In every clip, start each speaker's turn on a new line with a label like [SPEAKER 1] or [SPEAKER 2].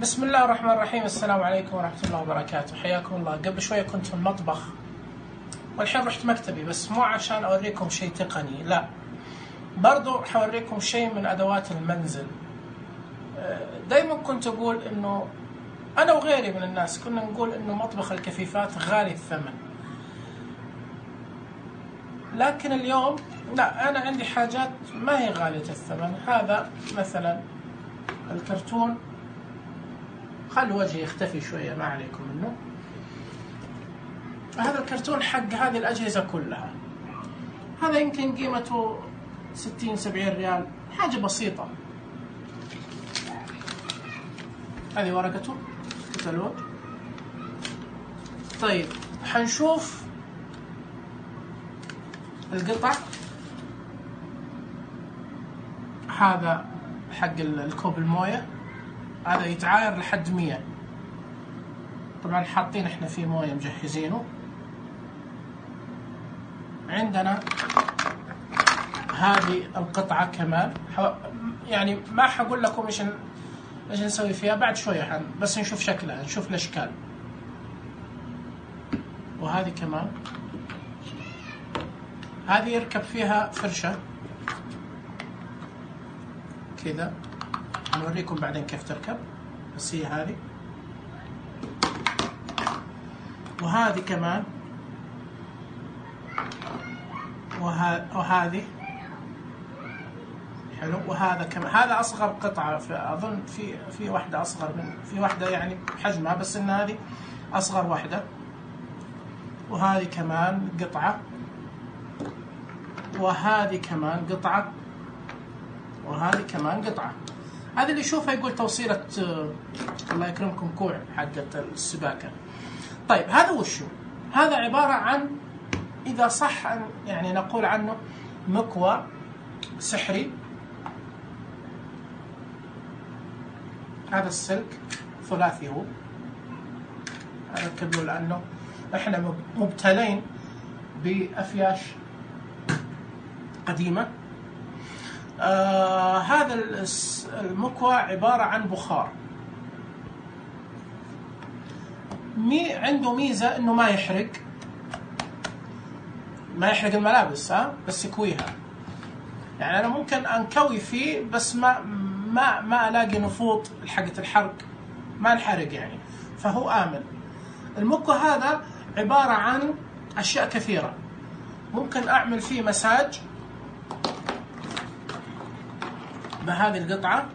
[SPEAKER 1] بسم الله الرحمن الرحيم. السلام عليكم ورحمة الله وبركاته، حياكم الله. قبل شوية كنت في المطبخ والحين رحت مكتبي، بس مو عشان أوريكم شيء تقني، لا، برضو حوريكم شيء من أدوات المنزل. دايما كنت أقول إنه أنا وغيري من الناس كنا نقول إنه مطبخ الكفيفات غالي الثمن، لكن اليوم لا، أنا عندي حاجات ما هي غالية الثمن. هذا مثلا الكرتون، خل وجهي يختفي شوية ما عليكم منه. هذا الكرتون حق هذه الأجهزة كلها، هذا يمكن قيمته 60-70 ريال، حاجة بسيطة. هذه ورقته كتالوج. طيب حنشوف القطع. هذا حق الكوب الموية، هذا يتعاير لحد 100. طبعا حاطين احنا فيه موية مجهزينه. عندنا هذه القطعة كمان، يعني ما حقول لكم ايش نسوي فيها بعد شوية، بس نشوف شكلها، نشوف الاشكال. وهذه كمان، هذه يركب فيها فرشة كذا، نوريكم بعدين كيف تركب، بس هي هذه. وهذه كمان، وهذه حلو. وهذا كمان، هذا أصغر قطعة، أظن في واحدة أصغر في واحدة يعني حجمها، بس إن هذه أصغر واحدة. وهذه كمان قطعة، وهذه كمان قطعة، وهذه كمان قطعة. هذا اللي يشوفها يقول توصيلة الله يكرمكم كوع حقة السباكة. طيب هذا وشو؟ هذا عبارة عن، إذا صح أن يعني نقول عنه، مكوى سحري. هذا السلك ثلاثي، هو أركب له لأنه إحنا مبتلين بأفياش قديمة. هذا المكوى عبارة عن بخار، عنده ميزة إنه ما يحرق الملابس، بس يكويها. يعني أنا ممكن أنكوي فيه، بس ما ألاقي نفوط حقة الحرق، ما انحرق يعني، فهو آمن. المكوى هذا عبارة عن أشياء كثيرة. ممكن أعمل فيه مساج بهذه القطعة،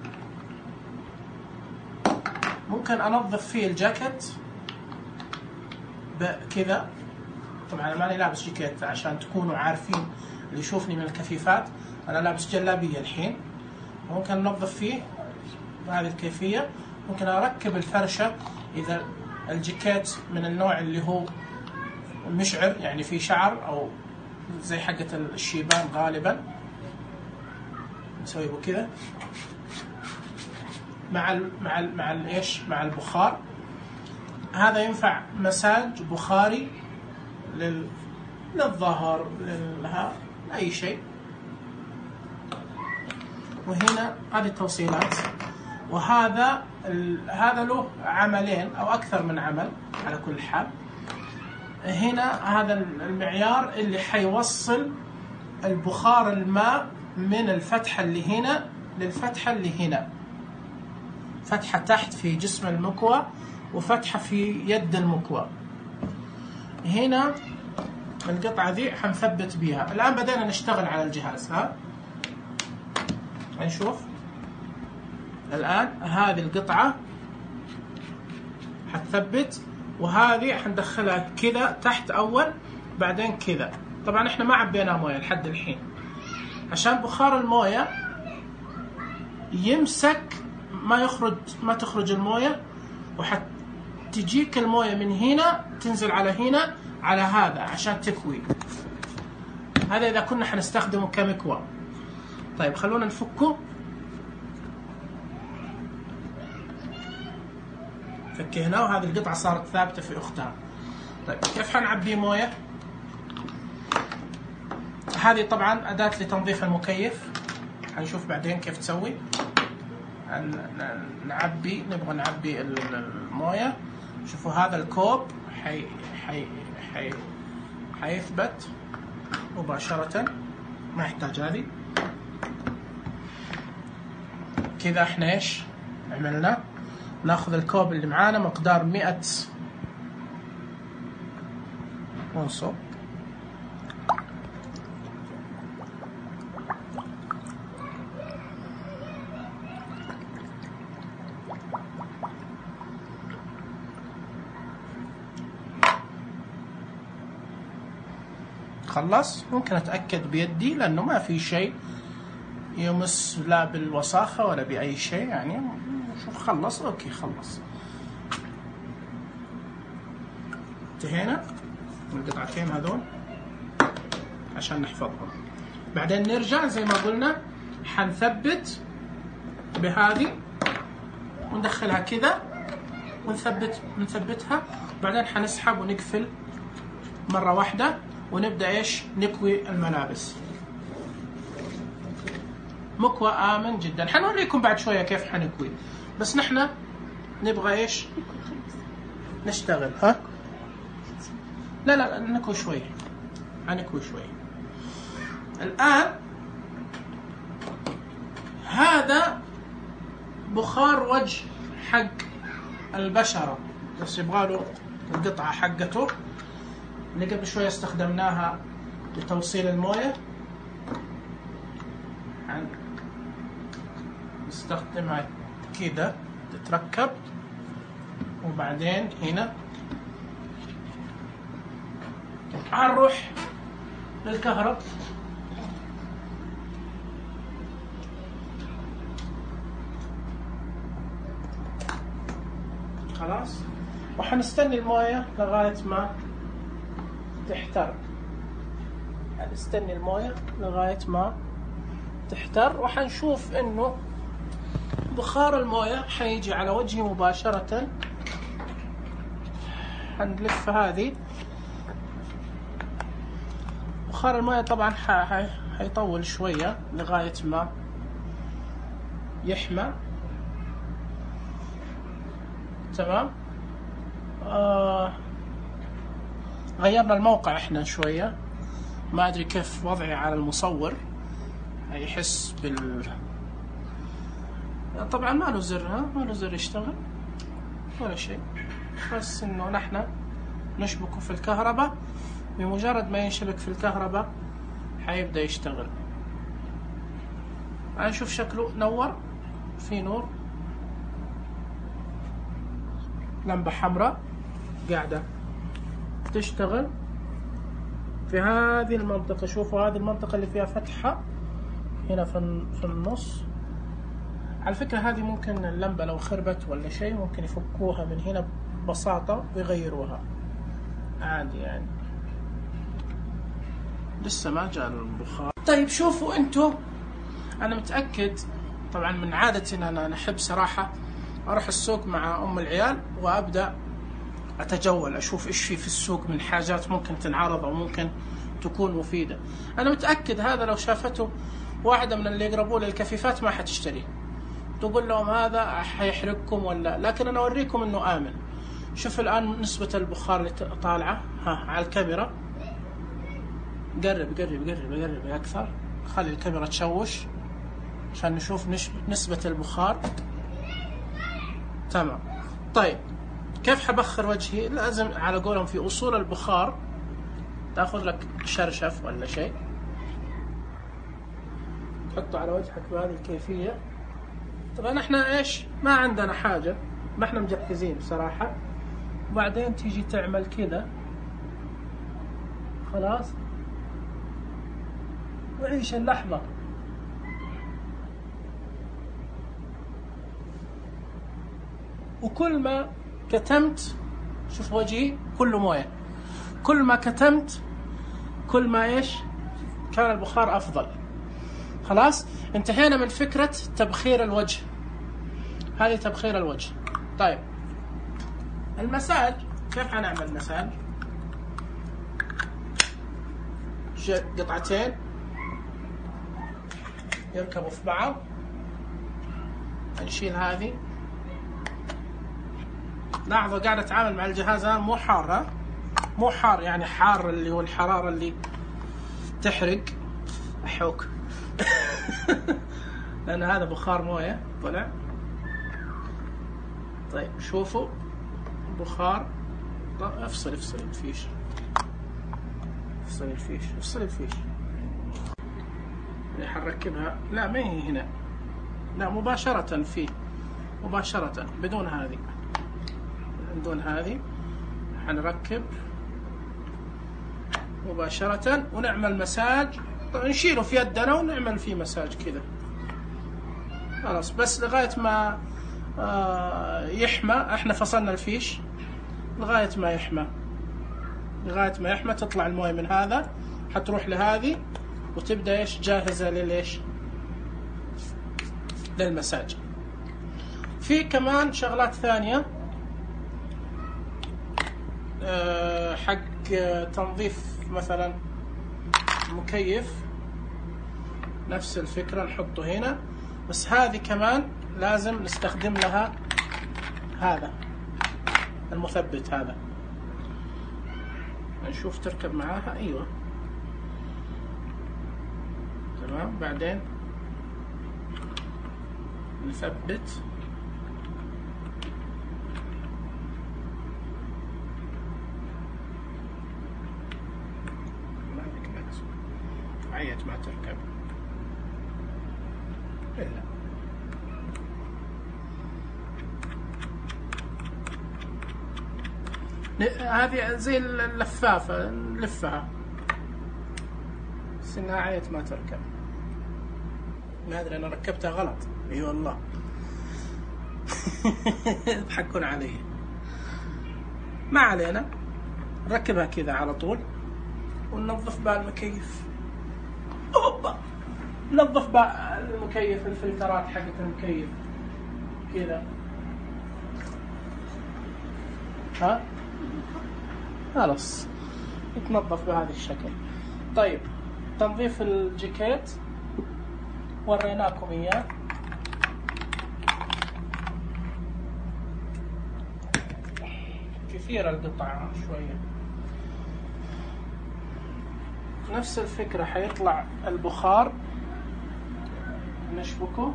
[SPEAKER 1] ممكن أنظف فيه الجاكيت بكذا. طبعا أنا ماني لابس جاكيت عشان تكونوا عارفين، اللي يشوفني من الكفيفات أنا لابس جلابية الحين. ممكن أنظف فيه بهذه الكيفية. ممكن أركب الفرشة إذا الجاكيت من النوع اللي هو مشعر، يعني فيه شعر أو زي حقة الشيبان غالبا، نسوي كذا مع البخار. هذا ينفع مساج بخاري للظهر، أي شيء. وهنا هذه التوصيلات. وهذا له عملين أو أكثر من عمل على كل حال. هنا هذا المعيار اللي حيوصل البخار الماء من الفتحة اللي هنا للفتحة اللي هنا، فتحة تحت في جسم المكوى وفتحة في يد المكوى. هنا القطعة ذي حنثبت بيها. الآن بدأنا نشتغل على الجهاز. نشوف الآن هذه القطعة حتثبت، وهذه حندخلها كذا تحت أول، بعدين كذا. طبعا احنا ما عبينا موية لحد الحين عشان بخار الموية يمسك، ما تخرج الموية، وحتجيك الموية من هنا تنزل على هنا على هذا عشان تكوي. هذا إذا كنا حنستخدمه كمكوى. طيب خلونا نفكه. فكيناه، وهذه القطعة صارت ثابتة في أختها. طيب كيف حنعبي موية؟ هذه طبعا أداة لتنظيف المكيف، حنشوف بعدين كيف تسوي. نبغى نعبي المويه. شوفوا هذا الكوب حيثبت مباشرة، ما يحتاج هذه. كذا احنا ايش عملنا؟ ناخذ الكوب اللي معانا مقدار 100 ونصب. خلص. ممكن اتأكد بيدي لانه ما في شيء يمس لا بالوساخة ولا بأي شيء يعني. شوف خلص. اوكي خلص. انتهينا من القطعتين هذول عشان نحفظهم. بعدين نرجع زي ما قلنا حنثبت بهذه وندخلها كذا ونثبتها. بعدين حنسحب ونقفل مرة واحدة ونبدأ ايش نكوي الملابس. مكوى آمن جدا. حنوريكم بعد شوية كيف حنكوي، بس نحن نبغى ايش نشتغل. ها لا نكوي شوي. حنكوي شوي. الآن هذا بخار وجه حق البشرة، بس يبغاله القطعة حقته اللي قبل شوية استخدمناها لتوصيل الموية. نستخدمها كده تتركب، وبعدين هنا هنروح للكهرب. خلاص. وحنستني الموية لغاية ما تحتر. حنستني الموية لغاية ما تحتر، وحنشوف انه بخار الموية حيجي على وجهي مباشرة. حنلف هذه. بخار الموية طبعا حيطول شوية لغاية ما يحمى. تمام. غيرنا الموقع احنا شوية، ما ادري كيف وضعي على المصور. يحس طبعا ما له زر. ما له زر يشتغل ولا شيء، بس انه نحن نشبكه في الكهرباء. بمجرد ما ينشبك في الكهرباء حيبدأ يشتغل. نشوف شكله نور، في نور، لمبة حمراء قاعدة تشتغل في هذه المنطقة. شوفوا هذه المنطقة اللي فيها فتحة هنا في النص. على فكرة هذه ممكن اللمبة لو خربت ولا شيء ممكن يفكوها من هنا ببساطة ويغيروها عادي يعني. لسه ما جاء البخار. طيب شوفوا انتو، انا متأكد طبعا من عادتي ان انا احب صراحة اروح السوق مع ام العيال وابدأ اتجول اشوف ايش في السوق من حاجات ممكن تنعرض او ممكن تكون مفيدة. انا متأكد هذا لو شافته واحدة من اللي يقربوا للكفيفات ما حتشتريه، تقول لهم هذا حيحرقكم ولا. لكن انا اوريكم انه امن. شوف الان نسبة البخار اللي طالعة على الكاميرا. قرب اكثر. خلي الكاميرا تشوش عشان نشوف نسبة البخار. تمام. طيب كيف حبخر وجهي؟ لازم على قولهم في اصول البخار تاخذ لك شرشف ولا شيء تحطه على وجهك بهذه الكيفية. طبعا احنا ايش ما عندنا حاجة، ما احنا مجهزين بصراحة. وبعدين تيجي تعمل كذا. خلاص. وعيش اللحظة. وكل ما كتمت، شوف وجهي كله موية، كل ما كتمت كل ما ايش كان البخار افضل. خلاص انتهينا من فكرة تبخير الوجه. هذه تبخير الوجه. طيب المساج كيف حنعمل مساج؟ قطعتين يركبوا في بعض. نشيل هذه. لاحظوا قاعد اتعامل مع الجهاز الان مو حار، ها مو حار يعني حار اللي هو الحرارة اللي تحرق احوك لان هذا بخار مويه طلع. طيب شوفوا بخار. افصل الفيش، افصل الفيش. حنركبها، لا ما هي هنا، لا مباشرة فيه، مباشرة بدون هذه حنركب مباشرة ونعمل مساج. طبعا نشيله في يدنا ونعمل فيه مساج كذا خلاص، بس لغاية ما يحمى. احنا فصلنا الفيش لغاية ما يحمى تطلع المويه من هذا، حتروح لهذه وتبدأ ايش جاهزة للمساج. في كمان شغلات ثانية حق تنظيف مثلا مكيف، نفس الفكرة نحطه هنا، بس هذه كمان لازم نستخدم لها هذا المثبت هذا. نشوف تركب معاها، ايوه تمام. بعدين نثبت عيت ما تركب إلا. هذه زي اللفافة نلفها، بس انها عيت ما تركب. ما ادري انا ركبتها غلط، اي والله يضحكون علي. ما علينا، نركبها كذا على طول وننظف بها المكيف. اوبا، ننظف بها المكيف، الفلترات حقت المكيف كذا، ها خلاص يتنظف بهذا الشكل. طيب تنظيف الجاكيت وريناكم اياه. كثيرة القطعة شوية. نفس الفكرة، حيطلع البخار نشبكه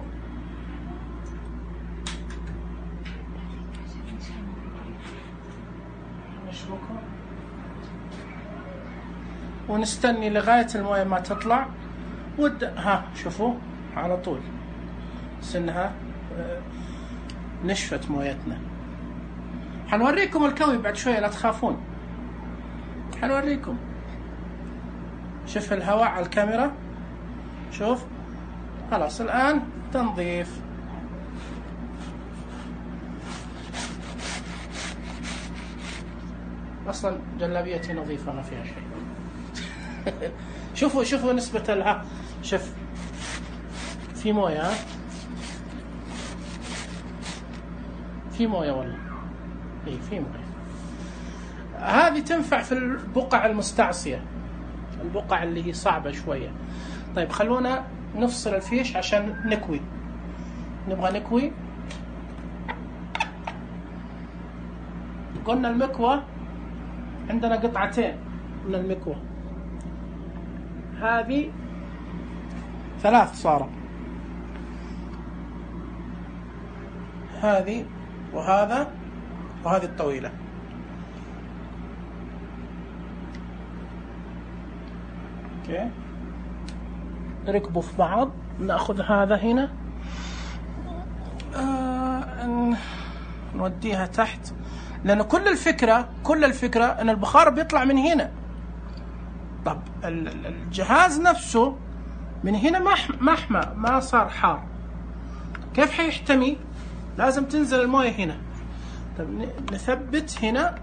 [SPEAKER 1] ونستني لغاية المويه ما تطلع ها شوفوا على طول سنها نشفت مويتنا. حنوريكم الكوي بعد شوية لا تخافون، حنوريكم. شوف الهواء على الكاميرا، شوف خلاص. الآن تنظيف. أصلا جلابيتي نظيفة ما فيها شيء شوفوا نسبة الها، شوف في موية، في موية والله، اي في موية. هذه تنفع في البقع المستعصية، البقع اللي هي صعبة شوية. طيب خلونا نفصل الفيش عشان نكوي، نبغى نكوي. قلنا المكوى عندنا قطعتين من المكوى، هذه 3 صارت، هذه وهذا وهذه الطويلة. اوكي نركبوا في بعض. ناخذ هذا هنا نوديها تحت، لأن كل الفكرة أن البخار بيطلع من هنا. طب الجهاز نفسه من هنا ما حمى، ما صار حار، كيف حيحتمي؟ لازم تنزل المويه هنا. طب نثبت هنا،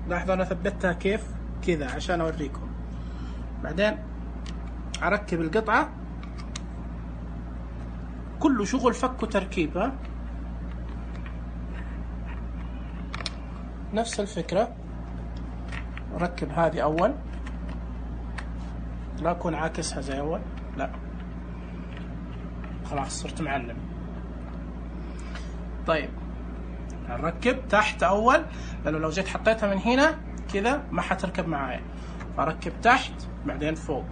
[SPEAKER 1] لاحظوا أنا ثبتها كيف كذا عشان أوريكم. بعدين أركب القطعة، كله شغل فك وتركيب. ها نفس الفكرة، ركب هذه أول، لا أكون عاكسها زي أول، لا خلاص صرت معلم. طيب نركب تحت أول، لأنه لو جيت حطيتها من هنا كذا ما حتركب معايا، فركب تحت بعدين فوق.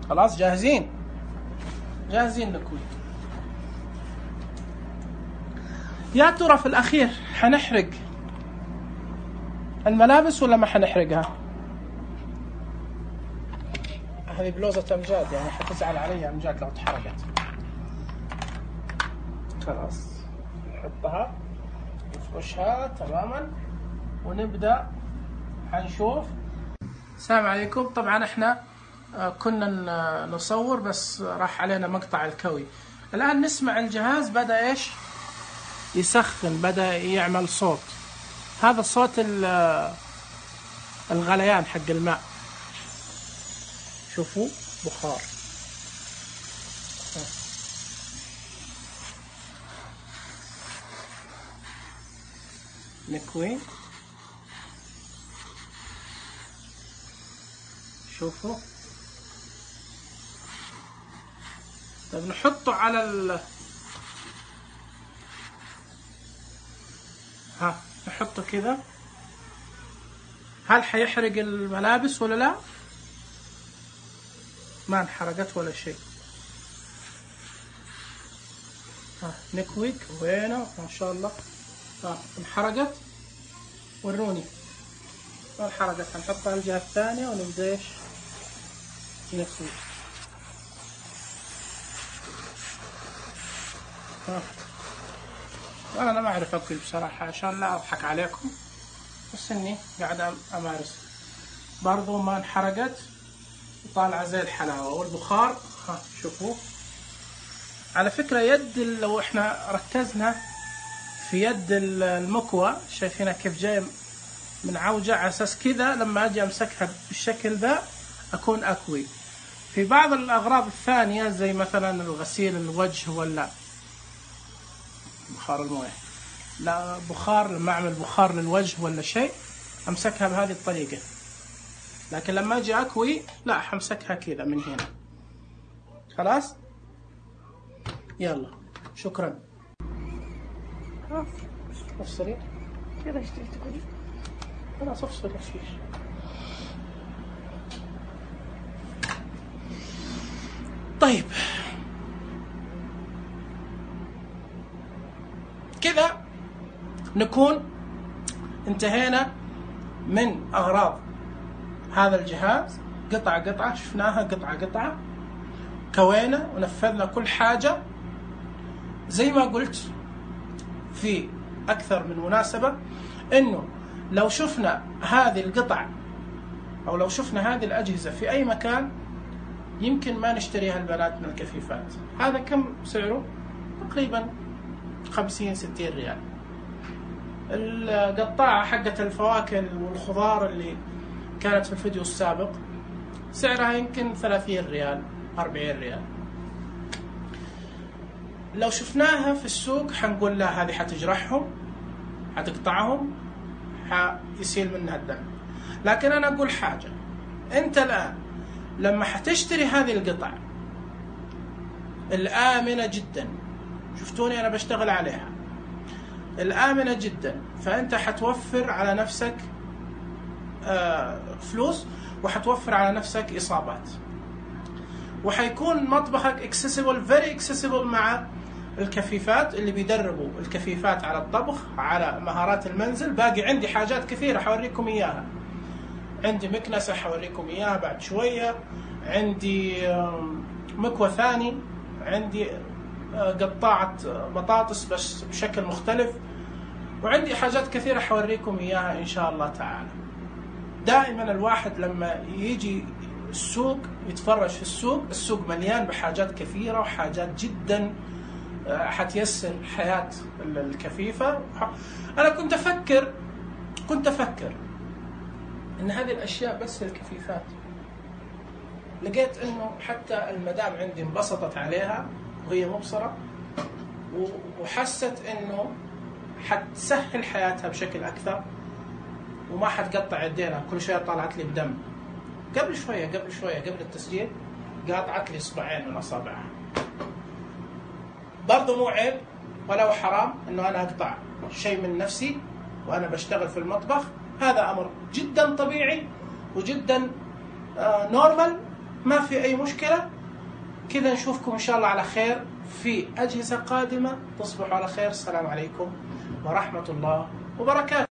[SPEAKER 1] خلاص جاهزين؟ جاهزين نكوي. يا ترى في الأخير حنحرق الملابس ولا ما حنحرقها؟ هذه بلوزة أمجاد، يعني حتزعل علي أمجاد لو اتحرقت. خلاص نحطها نفرشها تماما ونبدأ حنشوف. السلام عليكم. طبعا احنا كنا نصور بس راح علينا مقطع الكوي. الآن نسمع الجهاز بدأ ايش يسخن، بدأ يعمل صوت. هذا صوت الغليان حق الماء. شوفوا بخار. نكوي. شوفوا. طيب نحطه على نحطه كذا. هل حيحرق الملابس ولا لا؟ ما انحرقت ولا شيء. نكوي كوينة ما شاء الله. انحرقت؟ وروني. ما انحرقت. هنحطها على الجهة الثانية ونبدأ ايش نكوي. أنا ما أعرف أكل بصراحة عشان لا أضحك عليكم، بس إني قاعد أمارس. برضو ما انحرقت وطالعة زي الحلاوة. والبخار شوفوا. على فكرة يد لو إحنا ركزنا في يد المكوى شايفينها كيف جاي من عوجة، على أساس كذا لما أجي أمسكها بالشكل ذا أكون أكوي. في بعض الأغراض الثانية زي مثلا الغسيل الوجه ولا بخار المويه، لا بخار، لما أعمل بخار للوجه ولا شيء أمسكها بهذه الطريقة. لكن لما أجي أكوي لا، حمسكها كذا من هنا. خلاص يلا شكرا. افصلي
[SPEAKER 2] كذا ايش تقولي؟
[SPEAKER 1] خلاص افصلي فيش. طيب كذا نكون انتهينا من أغراض هذا الجهاز. قطعة قطعة شفناها، قطعة قطعة كوينا ونفذنا كل حاجة. زي ما قلت في أكثر من مناسبة إنه لو شفنا هذه القطع أو لو شفنا هذه الأجهزة في أي مكان يمكن ما نشتريها البنات من الكفيفات. هذا كم سعره؟ تقريبا 50-60 ريال. القطاعة حقت الفواكه والخضار اللي كانت في الفيديو السابق سعرها يمكن 30 ريال 40 ريال. لو شفناها في السوق حنقول لا هذه حتجرحهم، حتقطعهم، حيسيل منها الدم. لكن أنا أقول حاجة، أنت الآن لما حتشتري هذه القطع الآمنة جدا، شفتوني أنا بشتغل عليها، الآمنة جدا، فأنت حتوفر على نفسك فلوس وحتوفر على نفسك إصابات، وحيكون مطبخك accessible very accessible مع الكفيفات اللي بيدربوا الكفيفات على الطبخ، على مهارات المنزل. باقي عندي حاجات كثيرة حوريكم إياها. عندي مكنسة حوريكم إياها بعد شوية، عندي مكوى ثاني، عندي قطاعة بطاطس بس بشكل مختلف، وعندي حاجات كثيرة حوريكم إياها إن شاء الله تعالى. دائما الواحد لما يجي السوق يتفرج في السوق مليان بحاجات كثيرة وحاجات جدا حتيسر حياة الكفيفة. أنا كنت أفكر إن هذه الأشياء بس للكفيفات. لقيت إنه حتى المدام عندي انبسطت عليها وهي مبصرة، وحست إنه حتسهل حياتها بشكل أكثر وما حتقطع يدينا كل شوية طالعت لي بدم. قبل شوية قبل التسجيل قاطعت لي إصبعين من أصابعها. برضو مو عيب ولا هو حرام إنه أنا أقطع شيء من نفسي وأنا بشتغل في المطبخ، هذا أمر جدا طبيعي وجدا نورمال، ما في أي مشكلة. كذا نشوفكم إن شاء الله على خير في أجهزة قادمة. تصبحوا على خير. السلام عليكم ورحمة الله وبركاته.